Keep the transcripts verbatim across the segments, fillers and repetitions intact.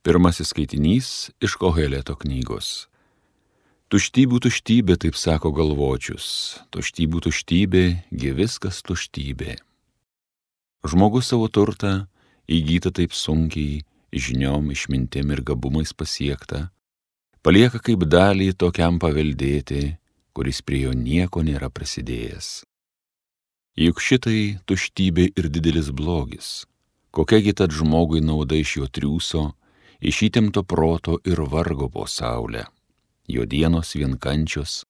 Pirmasis skaitinys iš Koheleto knygos. Tuštybių tuštybė, taip sako galvočius, tuštybių tuštybė, gi viskas tuštybė. Žmogus savo turtą įgyta taip sunkiai, žiniom, išmintim ir gabumais pasiekta, palieka kaip dalį tokiam paveldėti, kuris prie jo nieko nėra prisidėjęs. Juk šitai tuštybė ir didelis blogis, kokiagi tad žmogui nauda iš jo triūso, iš įtempto proto ir vargo po saulę. Jo dienos vien kančios,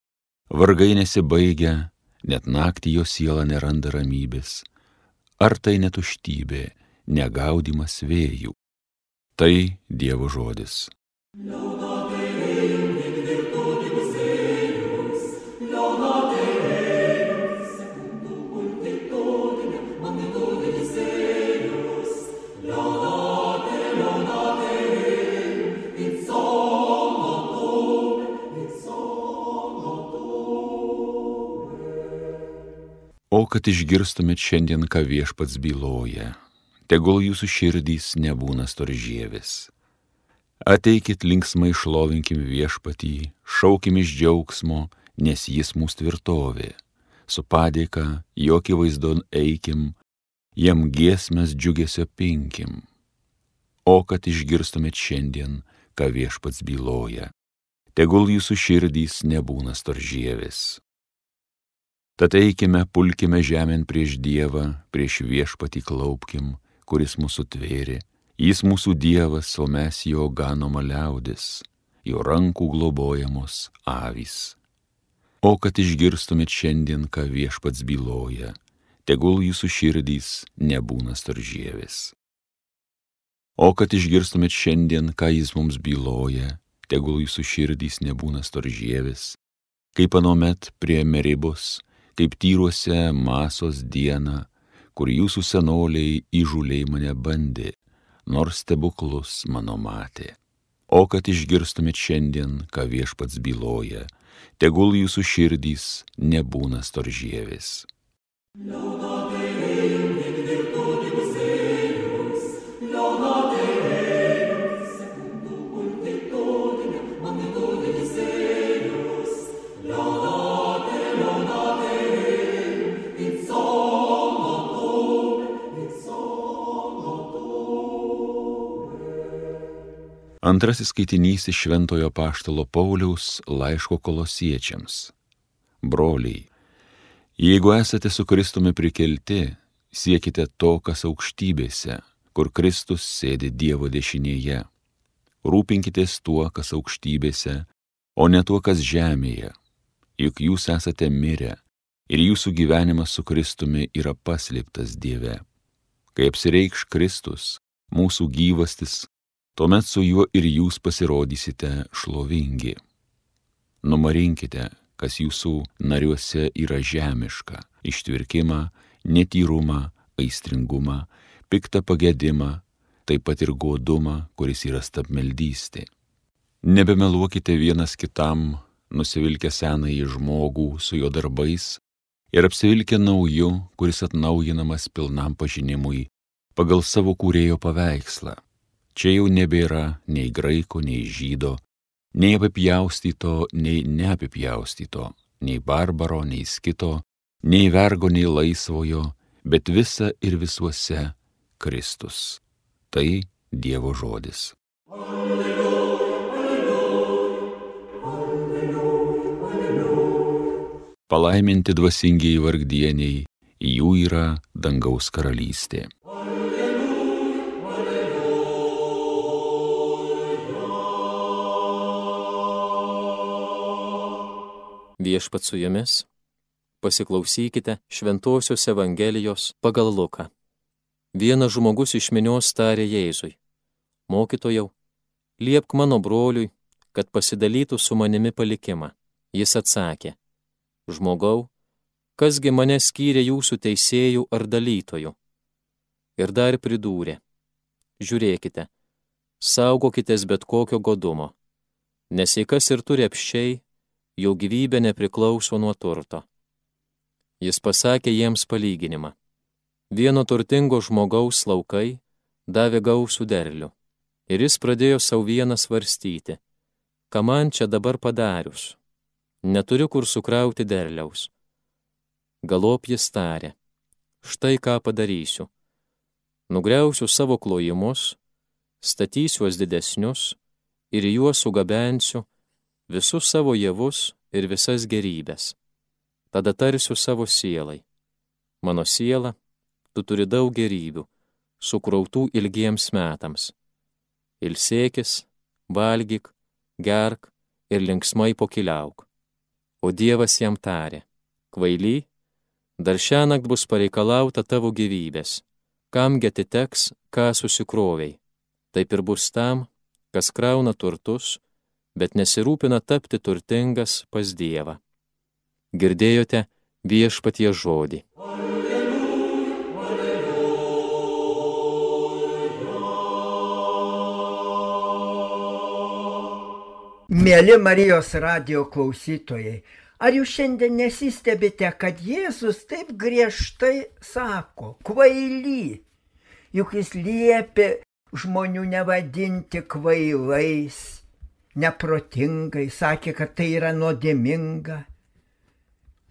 vargai nesibaigia, net naktį jo siela neranda ramybės. Ar tai ne tuštybė, negaudimas vėjų? Tai Dievo žodis. O kad išgirstumėt šiandien, ką Viešpats byloja, tegul jūsų širdys nebūna storžievis. Ateikit linksmai šlovinkim Viešpatį, šaukim iš džiaugsmo, nes jis mūsų tvirtovė. Su padėka, jo akivaizdon eikim, jam giesmes džiugesio pinkim. O kad išgirstumėt šiandien, ką Viešpats byloja, tegul jūsų širdys nebūna storžievis. Tad eikime, pulkime žemėn prieš Dievą, prieš Viešpatį klaupkim, kuris mūsų tvėrė. Jis mūsų Dievas, o mes jo ganoma liaudis, jo rankų globojamos avys. O kad išgirstumėt šiandien, ką Viešpats byloja, tegul jūsų širdys nebūna storžievis. O kad išgirstumėt šiandien, ką jis mums byloja, tegul jūsų širdys nebūna storžievis, kaip anomet prie Meribos, kaip tyruose Masos dieną, kur jūsų senoliai įžūliai mane bandė, nors stebuklus mano matė. O kad išgirstumėt šiandien, ką Viešpats byloja, tegul jūsų širdys nebūna storžievis. Antrasis skaitinys iš Šventojo apaštalo Pauliaus laiško Kolosiečiams. Broliai, jeigu esate su Kristumi prikelti, siekite to, kas aukštybėse, kur Kristus sėdi Dievo dešinėje. Rūpinkitės tuo, kas aukštybėse, o ne tuo, kas žemėje. Juk jūs esate mirę ir jūsų gyvenimas su Kristumi yra paslėptas Dieve. Kai apsireikš Kristus, mūsų gyvastis, tuomet su juo ir jūs pasirodysite šlovingi. Numarinkite, kas jūsų nariuose yra žemiška, ištvirkimą, netyrumą, aistringumą, piktą pagedimą, taip pat ir godumą, kuris yra stabmeldystė. Nebemeluokite vienas kitam, nusivilkę senąjį žmogų su jo darbais ir apsivilkę nauju, kuris atnaujinamas pilnam pažinimui pagal savo kūrėjo paveikslą. Čia jau nebėra nei graiko, nei žydo, nei apipjaustyto, nei neapipjaustyto, nei barbaro, nei skito, nei vergo, nei laisvojo, bet visa ir visuose Kristus. Tai Dievo žodis. Alleluja, alleluja, alleluja, alleluja. Palaiminti dvasingieji vargdieniai, jų yra dangaus karalystė. Viešpats su jumis, pasiklausykite Šventosios Evangelijos pagal Luką. Vienas žmogus iš minios tarė Jėzui: Mokytojau, liepk mano broliui, kad pasidalytų su manimi palikimą. Jis atsakė: Žmogau, kasgi mane skyrė jūsų teisėjų ar dalytojų? Ir dar pridūrė: Žiūrėkite, saugokitės bet kokio godumo, nes jei kas ir turi apsčiai, jo gyvybė nepriklauso nuo turto. Jis pasakė jiems palyginimą. Vieno turtingo žmogaus laukai davė gausų derlių. Ir jis pradėjo savo vieną svarstyti, ką man čia dabar padarius. Neturiu kur sukrauti derliaus. Galop jis tarė, štai ką padarysiu. Nugriausiu savo klojimus, statysiuos didesnius ir juos sugabensiu visus savo javus ir visas gerybės. Tada tarsiu savo sielai. Mano siela, tu turi daug gerybių, sukrautų ilgiems metams. Ilsėkis, valgyk, gerk ir linksmai pokyliauk. O Dievas jam tarė, kvaily, dar šiąnakt bus pareikalauta tavo gyvybės, kamgi atiteks, ką susikroviai. Taip ir bus tam, kas krauna turtus, bet nesirūpina tapti turtingas pas Dievą. Girdėjote Viešpaties žodį. Mėly Marijos radijo klausytojai, ar jūs šiandien nesistebite, kad Jėzus taip griežtai sako, kvaily, juk jis liepė žmonių nevadinti kvailais, neprotingai, sakė, kad tai yra nuodėminga.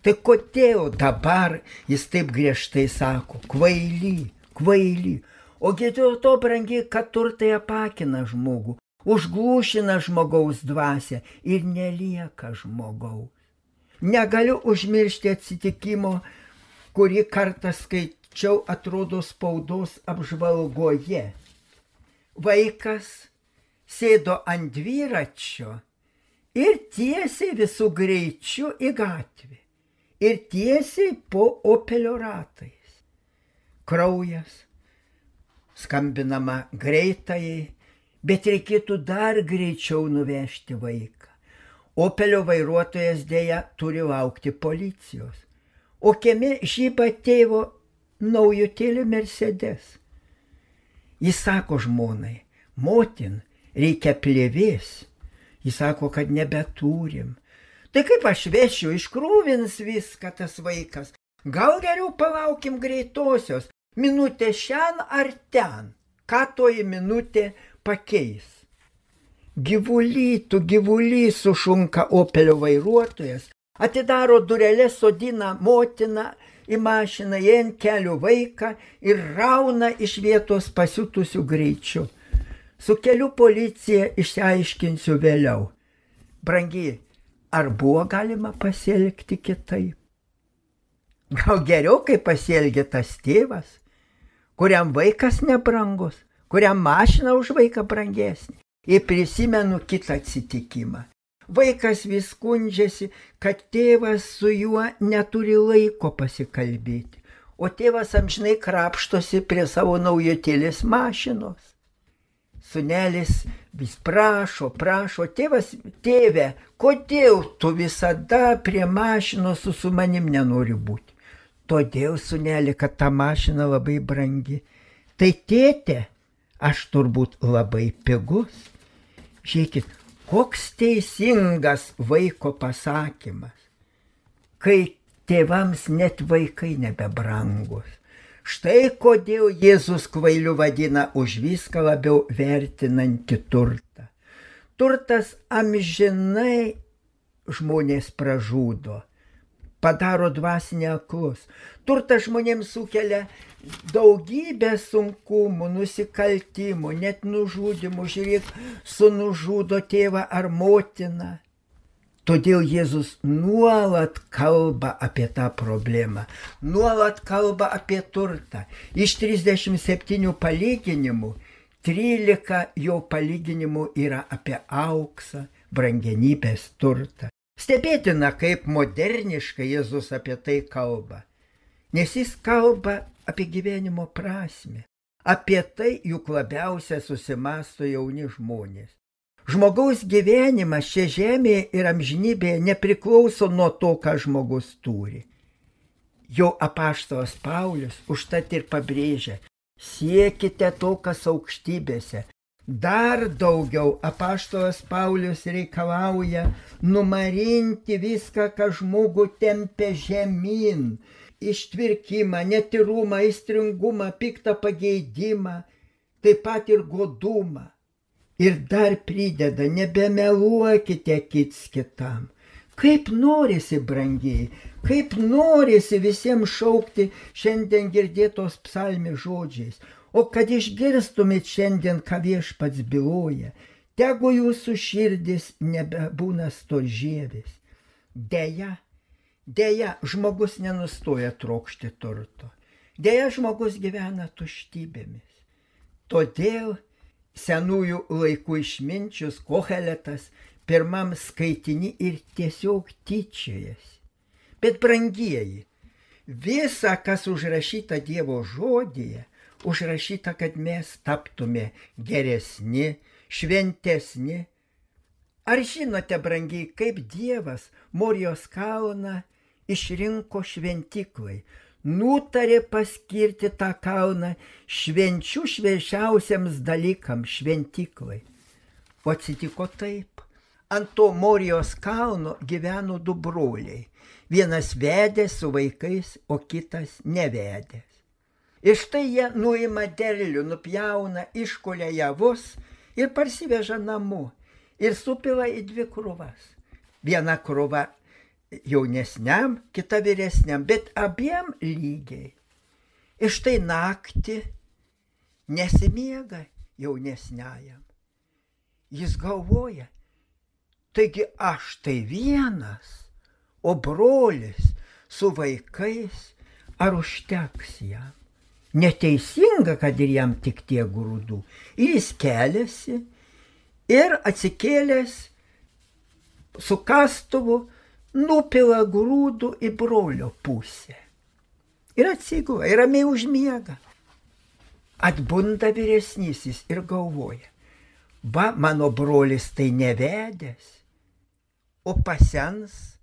Tai kodėl dabar jis taip griežtai sako, kvaily, kvaily, ogi dėl to, brangiai, kad turtai apakina žmogų, užglūšina žmogaus dvasią ir nelieka žmogaus. Negaliu užmiršti atsitikimo, kurį kartą skaičiau, atrodo, spaudos apžvalgoje. Vaikas sėdo ant dviračio ir tiesiai visų greičiu į gatvę. Ir tiesiai po Opelio ratais. Kraujas, skambinama greitajai, bet reikėtų dar greičiau nuvežti vaiką. Opelio vairuotojas dėja turi laukti policijos. O kieme žyba tėvo naujutėlį Mercedes. Jis sako žmonai, motin, reikia plėvės. Jis sako, kad nebeturim. Tai kaip aš vešiu, iškrūvins viską tas vaikas. Gal geriau palaukim greitosios, minutė šian ar ten. Ką toji minutė pakeis? Gyvuly, tu gyvuly, sušunka Opelio vairuotojas, atidaro durelės, sodina motiną į mašiną, jie ant kelių vaiką ir rauna iš vietos pasiutusių greičiu. Su kelių policija išsiaiškinsiu vėliau. Brangi, ar buvo galima pasielgti kitaip? Gal geriau, kaip pasielgė tas tėvas, kuriam vaikas nebrangus, kuriam mašina už vaiką brangesnė. Ir prisimenu kitą atsitikimą. Vaikas vis skundžiasi, kad tėvas su juo neturi laiko pasikalbėti, o tėvas amžinai krapštosi prie savo naujutėlės mašinos. Sūnelis vis prašo, prašo, tėvas, tėve, kodėl tu visada prie mašinos su, su manim nenori būti? Todėl, sūneli, kad ta mašina labai brangi. Tai tėte, aš turbūt labai pigus. Žiūrėkit, koks teisingas vaiko pasakymas, kai tėvams net vaikai nebebrangus. Štai kodėl Jėzus kvailiu vadina už viską labiau vertinantį turtą. Turtas amžinai žmonės pražudo, padaro dvasinį aklus. Turtas žmonėms sukelia daugybę sunkumų, nusikaltimų, net nužudimų. Žiūrėk, sunužudo tėvą ar motiną. Todėl Jėzus nuolat kalba apie tą problemą, nuolat kalba apie turtą. Iš trisdešimt septynių palyginimų, trylika jo palyginimų yra apie auksą, brangenybės turtą. Stebėtina, kaip moderniškai Jėzus apie tai kalba, nes jis kalba apie gyvenimo prasmę. Apie tai juk labiausia susimąsto jauni žmonės. Žmogaus gyvenimas čia žemėje ir amžinybėje nepriklauso nuo to, ką žmogus turi. Jo apaštalas Paulius užtat ir pabrėžia, siekite to, kas aukštybėse. Dar daugiau apaštalas Paulius reikalauja numarinti viską, ką žmogų tempia žemyn, ištvirkimą, netyrumą, aistringumą, piktą pageidimą, taip pat ir godumą. Ir dar prideda, nebemeluokite kits kitam. Kaip norisi, brangiai, kaip norisi visiems šaukti šiandien girdėtos psalmės žodžiais. O kad išgirstumėt šiandien, ką Viešpats byloja, tegu jūsų širdis nebebūna storžievis. Deja, deja, žmogus nenustoja trokšti turto. Deja, žmogus gyvena tuštybėmis. Todėl senųjų laikų išminčius Koheletas pirmam skaitini ir tiesiog tyčiojasi. Bet brangieji, visa, kas užrašyta Dievo žodyje, užrašyta, kad mes taptume geresni, šventesni. Ar žinote, brangiai, kaip Dievas Morijos kalną išrinko šventiklai, nutarė paskirti tą kalną švenčių švenčiausiams dalykams šventiklai. O atsitiko taip. Ant to Morijos kalno gyveno du broliai. Vienas vedęs su vaikais, o kitas nevedęs. Ir štai jie nuima derlių, nupjauna, iškulia javus ir parsiveža namo. Ir supila į dvi krūvas. Viena krūva jaunesniam, kita vyresniam, bet abiem lygiai. Ir štai naktį nesimiega jaunesniajam. Jis galvoja, taigi aš tai vienas, o brolis su vaikais, ar užteks jam? Neteisinga, kad ir jam tik tiek grūdų. Ir jis keliasi ir atsikėlęs su kastuvu nupila grūdų į brolio pusę. Ir atsigula, ir ramiai užmiega. Atbunda vyresnysis ir galvoja, va, mano brolis tai nevedęs, o pasens,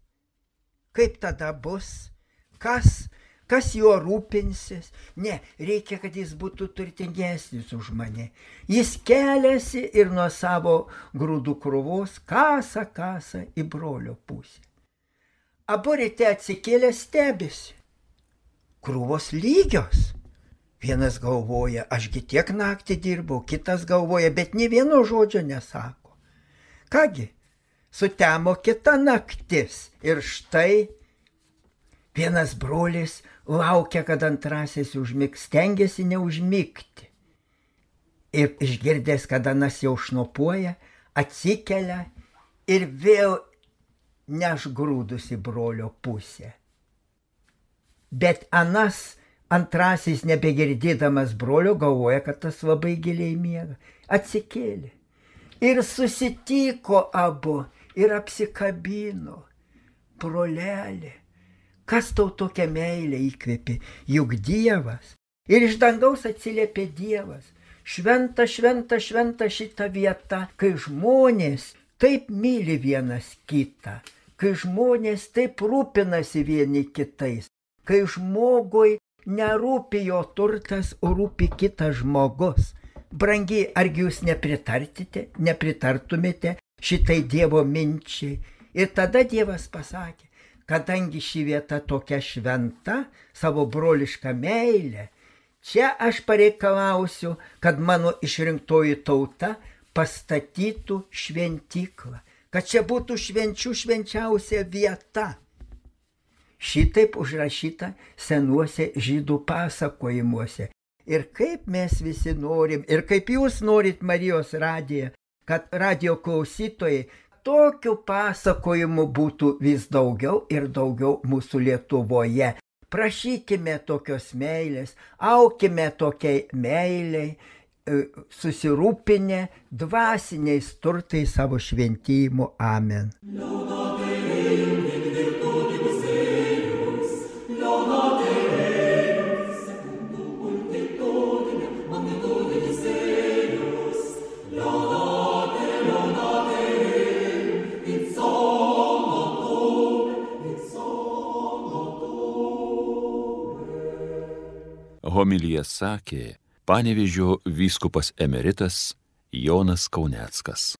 kaip tada bus, kas, kas juo rūpinsis? Ne, reikia, kad jis būtų turtingesnis už mane. Jis keliasi ir nuo savo grūdų krūvos kasa, kasa į brolio pusę. Abu ryte atsikėlę stebisi. Krūvos lygios. Vienas galvoja, ašgi tiek naktį dirbau, kitas galvoja, bet nė vieno žodžio nesako. Kągi, sutemo kita naktis ir štai vienas brolis laukia, kad antrasis užmigs, stengiasi neužmigti. Ir išgirdęs, kad anas jau šnopuoja, atsikelia ir vėl neš grūdus į brolio pusę. Bet anas antrasis, nebegirdėdamas brolio, galvoja, kad tas labai giliai miega. Atsikėlė. Ir susitiko abu ir apsikabino. Brolelė, kas tau tokią meilę įkvėpė? Juk Dievas. Ir iš dangaus atsiliepė Dievas. Šventa, šventa, šventa šita vieta, kai žmonės taip myli vienas kitą, kai žmonės taip rūpinasi vieni kitais, kai žmogui nerūpi jo turtas, o rūpi kitas žmogus. Brangiai, argi jūs nepritartite, nepritartumėte šitai Dievo minčiai? Ir tada Dievas pasakė, kadangi ši vieta tokia šventa, savo brolišką meilę, čia aš pareikalausiu, kad mano išrinktoji tauta pastatytų šventyklą, kad čia būtų švenčių švenčiausia vieta. Šitaip užrašyta senuose žydų pasakojimuose. Ir kaip mes visi norim, ir kaip jūs norit Marijos radiją, kad radijo klausytojai tokių pasakojimų būtų vis daugiau ir daugiau mūsų Lietuvoje. Prašykime tokios meilės, aukime tokiai meiliai, susirūpinę dvasiniais turtais savo šventijimo. Amen. Homiliją sakė Panevėžio vyskupas emeritas Jonas Kauneckas.